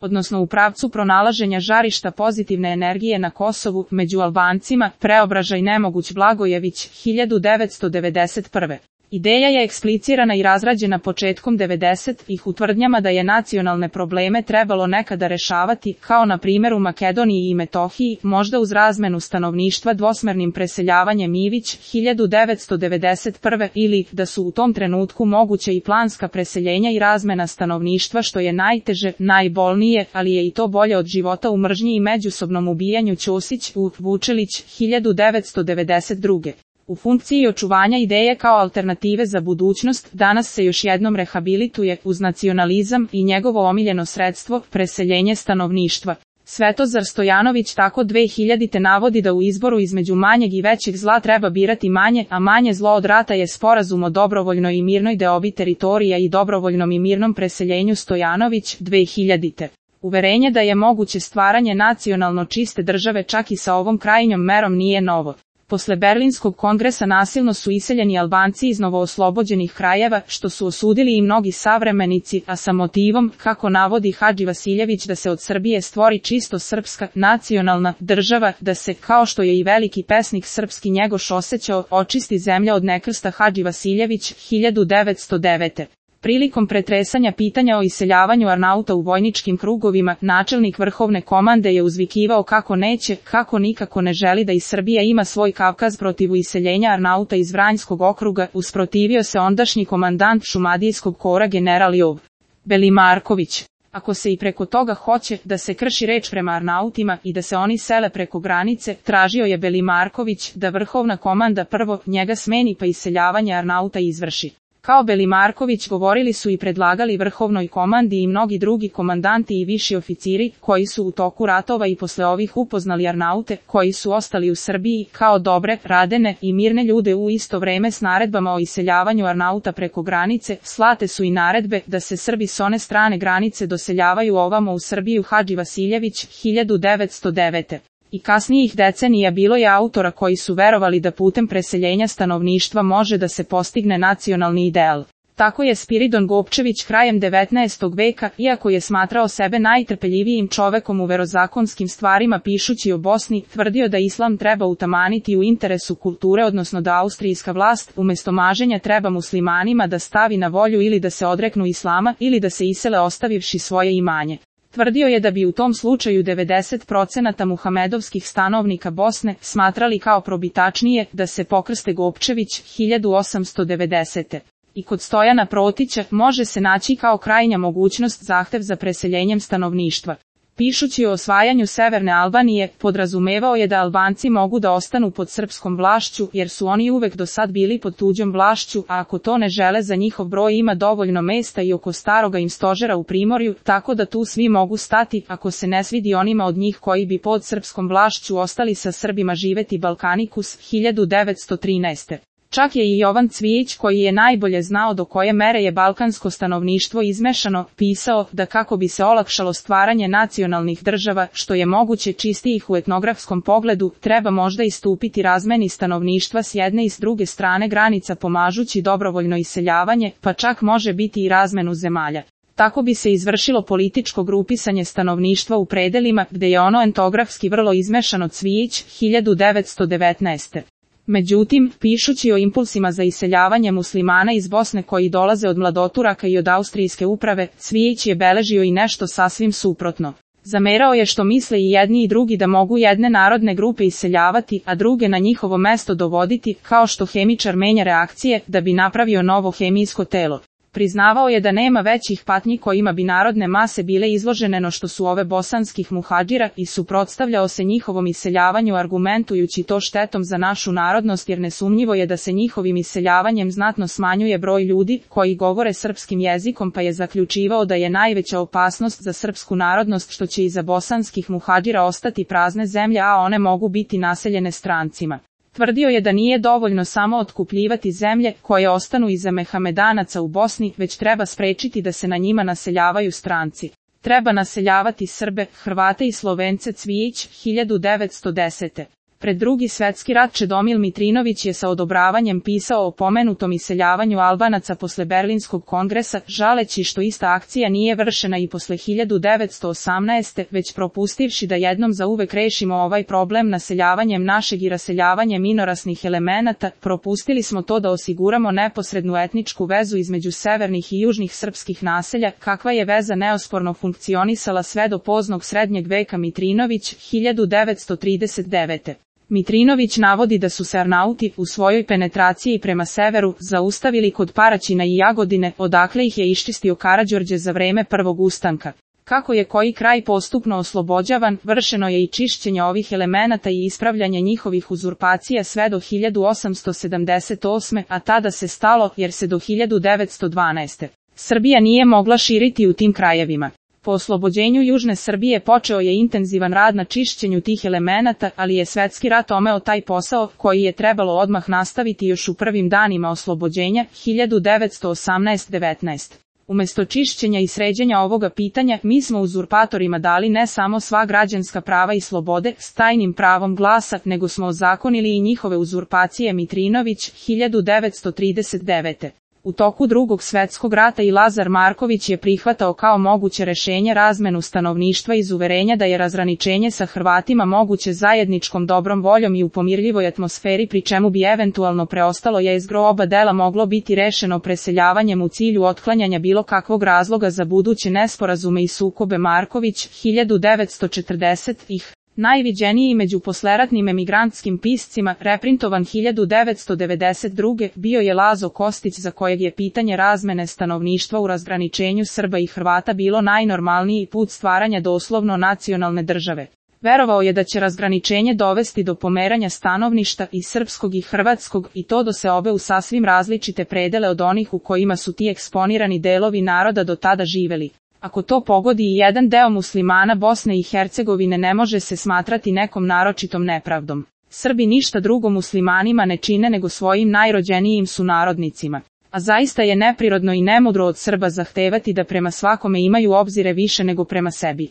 odnosno u pravcu pronalaženja žarišta pozitivne energije na Kosovu, među Albancima, Preobražaj Nemoguć Blagojević, 1991. Ideja je eksplicirana i razrađena početkom 90-ih u tvrdnjama da je nacionalne probleme trebalo nekada rešavati, kao na primjer u Makedoniji i Metohiji, možda uz razmenu stanovništva dvosmernim preseljavanjem Ivić, 1991. ili da su u tom trenutku moguće i planska preseljenja i razmena stanovništva što je najteže, najbolnije, ali je i to bolje od života u mržnji i međusobnom ubijanju Ćosić, Vučelić, 1992. U funkciji očuvanja ideje kao alternative za budućnost, danas se još jednom rehabilituje, uz nacionalizam i njegovo omiljeno sredstvo, preseljenje stanovništva. Svetozar Stojanović tako 2000. navodi da u izboru između manjeg i većeg zla treba birati manje, a manje zlo od rata je sporazum o dobrovoljnoj i mirnoj deobi teritorija i dobrovoljnom i mirnom preseljenju. Stojanović, 2000. Uverenje da je moguće stvaranje nacionalno čiste države čak i sa ovom krajnjom merom nije novo. Posle Berlinskog kongresa nasilno su iseljeni Albanci iz novooslobođenih krajeva, što su osudili i mnogi savremenici, a sa motivom, kako navodi Hadži Vasiljević, da se od Srbije stvori čisto srpska, nacionalna država, da se, kao što je i veliki pesnik srpski Njegoš osjećao, očisti zemlja od nekrsta. Hadži Vasiljević, 1909. Prilikom pretresanja pitanja o iseljavanju Arnauta u vojničkim krugovima, načelnik vrhovne komande je uzvikivao kako neće, kako nikako ne želi da i Srbija ima svoj Kavkaz. Protiv iseljenja Arnauta iz Vranjskog okruga usprotivio se ondašnji komandant Šumadijskog kora general Jov Belimarković. Ako se i preko toga hoće da se krši reč prema Arnautima i da se oni sele preko granice, tražio je Belimarković da vrhovna komanda prvo njega smeni pa iseljavanje Arnauta izvrši. Kao Belimarković govorili su i predlagali vrhovnoj komandi i mnogi drugi komandanti i viši oficiri, koji su u toku ratova i posle ovih upoznali Arnaute, koji su ostali u Srbiji, kao dobre, radene i mirne ljude. U isto vreme s naredbama o iseljavanju Arnauta preko granice, slate su i naredbe da se Srbi s one strane granice doseljavaju ovamo u Srbiju. Hadži Vasiljević, 1909. I kasnijih decenija bilo je autora koji su verovali da putem preseljenja stanovništva može da se postigne nacionalni ideal. Tako je Spiridon Gopčević krajem 19. veka, iako je smatrao sebe najtrpeljivijim čovekom u verozakonskim stvarima pišući o Bosni, tvrdio da islam treba utamaniti u interesu kulture, odnosno da austrijska vlast, umjesto maženja, treba muslimanima da stavi na volju ili da se odreknu islama ili da se isele ostavivši svoje imanje. Tvrdio je da bi u tom slučaju 90% muhamedovskih stanovnika Bosne smatrali kao probitačnije da se pokrste. Gopčević, 1890. I kod Stojana Protića može se naći kao krajnja mogućnost zahtev za preseljenjem stanovništva. Pišući o osvajanju Severne Albanije, podrazumevao je da Albanci mogu da ostanu pod srpskom vlašću, jer su oni uvek do sad bili pod tuđom vlašću, a ako to ne žele, za njihov broj ima dovoljno mesta i oko staroga im stožera u Primorju, tako da tu svi mogu stati, ako se ne svidi onima od njih koji bi pod srpskom vlašću ostali sa Srbima živeti. Balkanikus, 1913. Čak je i Jovan Cvijić, koji je najbolje znao do koje mere je balkansko stanovništvo izmešano, pisao da kako bi se olakšalo stvaranje nacionalnih država, što je moguće čistijih u etnografskom pogledu, treba možda istupiti razmeni stanovništva s jedne i s druge strane granica pomažući dobrovoljno iseljavanje, pa čak može biti i razmenu zemalja. Tako bi se izvršilo političko grupisanje stanovništva u predelima, gde je ono etnografski vrlo izmešano. Cvijić, 1919. Međutim, pišući o impulsima za iseljavanje muslimana iz Bosne koji dolaze od mladoturaka i od austrijske uprave, Cvijić je beležio i nešto sasvim suprotno. Zamerao je što misle i jedni i drugi da mogu jedne narodne grupe iseljavati, a druge na njihovo mesto dovoditi, kao što hemičar menja reakcije da bi napravio novo hemijsko telo. Priznavao je da nema većih patnji kojima bi narodne mase bile izložene no što su ove bosanskih muhadžira i suprotstavljao se njihovom iseljavanju argumentujući to štetom za našu narodnost, jer nesumnjivo je da se njihovim iseljavanjem znatno smanjuje broj ljudi koji govore srpskim jezikom, pa je zaključivao da je najveća opasnost za srpsku narodnost što će iza bosanskih muhadžira ostati prazne zemlje, a one mogu biti naseljene strancima. Tvrdio je da nije dovoljno samo otkupljivati zemlje koje ostanu iza Mehamedanaca u Bosni, već treba sprečiti da se na njima naseljavaju stranci. Treba naseljavati Srbe, Hrvate i Slovence. Cvijić, 1910. Pred Drugi svetski rat Čedomil Mitrinović je sa odobravanjem pisao o pomenutom iseljavanju Albanaca posle Berlinskog kongresa, žaleći što ista akcija nije vršena i posle 1918. već propustivši da jednom zauvek rešimo ovaj problem naseljavanjem našeg i raseljavanjem minorasnih elemenata, propustili smo to da osiguramo neposrednu etničku vezu između severnih i južnih srpskih naselja, kakva je veza neosporno funkcionisala sve do poznog srednjeg veka. Mitrinović, 1939. Mitrinović navodi da su se Arnauti u svojoj penetraciji prema severu zaustavili kod Paraćina i Jagodine, odakle ih je iščistio Karađorđe za vreme prvog ustanka. Kako je koji kraj postupno oslobođavan, vršeno je i čišćenje ovih elemenata i ispravljanje njihovih uzurpacija sve do 1878. a tada se stalo, jer se do 1912. Srbija nije mogla širiti u tim krajevima. Po oslobođenju Južne Srbije počeo je intenzivan rad na čišćenju tih elemenata, ali je svetski rat omeo taj posao, koji je trebalo odmah nastaviti još u prvim danima oslobođenja, 1918-19. Umesto čišćenja i sređenja ovoga pitanja, mi smo uzurpatorima dali ne samo sva građanska prava i slobode s tajnim pravom glasa, nego smo ozakonili i njihove uzurpacije. Mitrinović, 1939. U toku Drugog svetskog rata i Lazar Marković je prihvatao kao moguće rešenje razmenu stanovništva iz uverenja da je razgraničenje sa Hrvatima moguće zajedničkom dobrom voljom i u pomirljivoj atmosferi, pri čemu bi eventualno preostalo jezgro oba dela moglo biti rešeno preseljavanjem u cilju otklanjanja bilo kakvog razloga za buduće nesporazume i sukobe. Marković, 1940. Najviđeniji među posleratnim emigrantskim piscima, reprintovan 1992. bio je Lazo Kostić, za kojeg je pitanje razmene stanovništva u razgraničenju Srba i Hrvata bilo najnormalniji put stvaranja doslovno nacionalne države. Verovao je da će razgraničenje dovesti do pomeranja stanovništa i srpskog i hrvatskog, i to do seobe u sasvim različite predele od onih u kojima su ti eksponirani delovi naroda do tada živeli. Ako to pogodi i jedan deo muslimana Bosne i Hercegovine, ne može se smatrati nekom naročitom nepravdom. Srbi ništa drugo muslimanima ne čine nego svojim najrođenijim sunarodnicima. A zaista je neprirodno i nemudro od Srba zahtevati da prema svakome imaju obzire više nego prema sebi.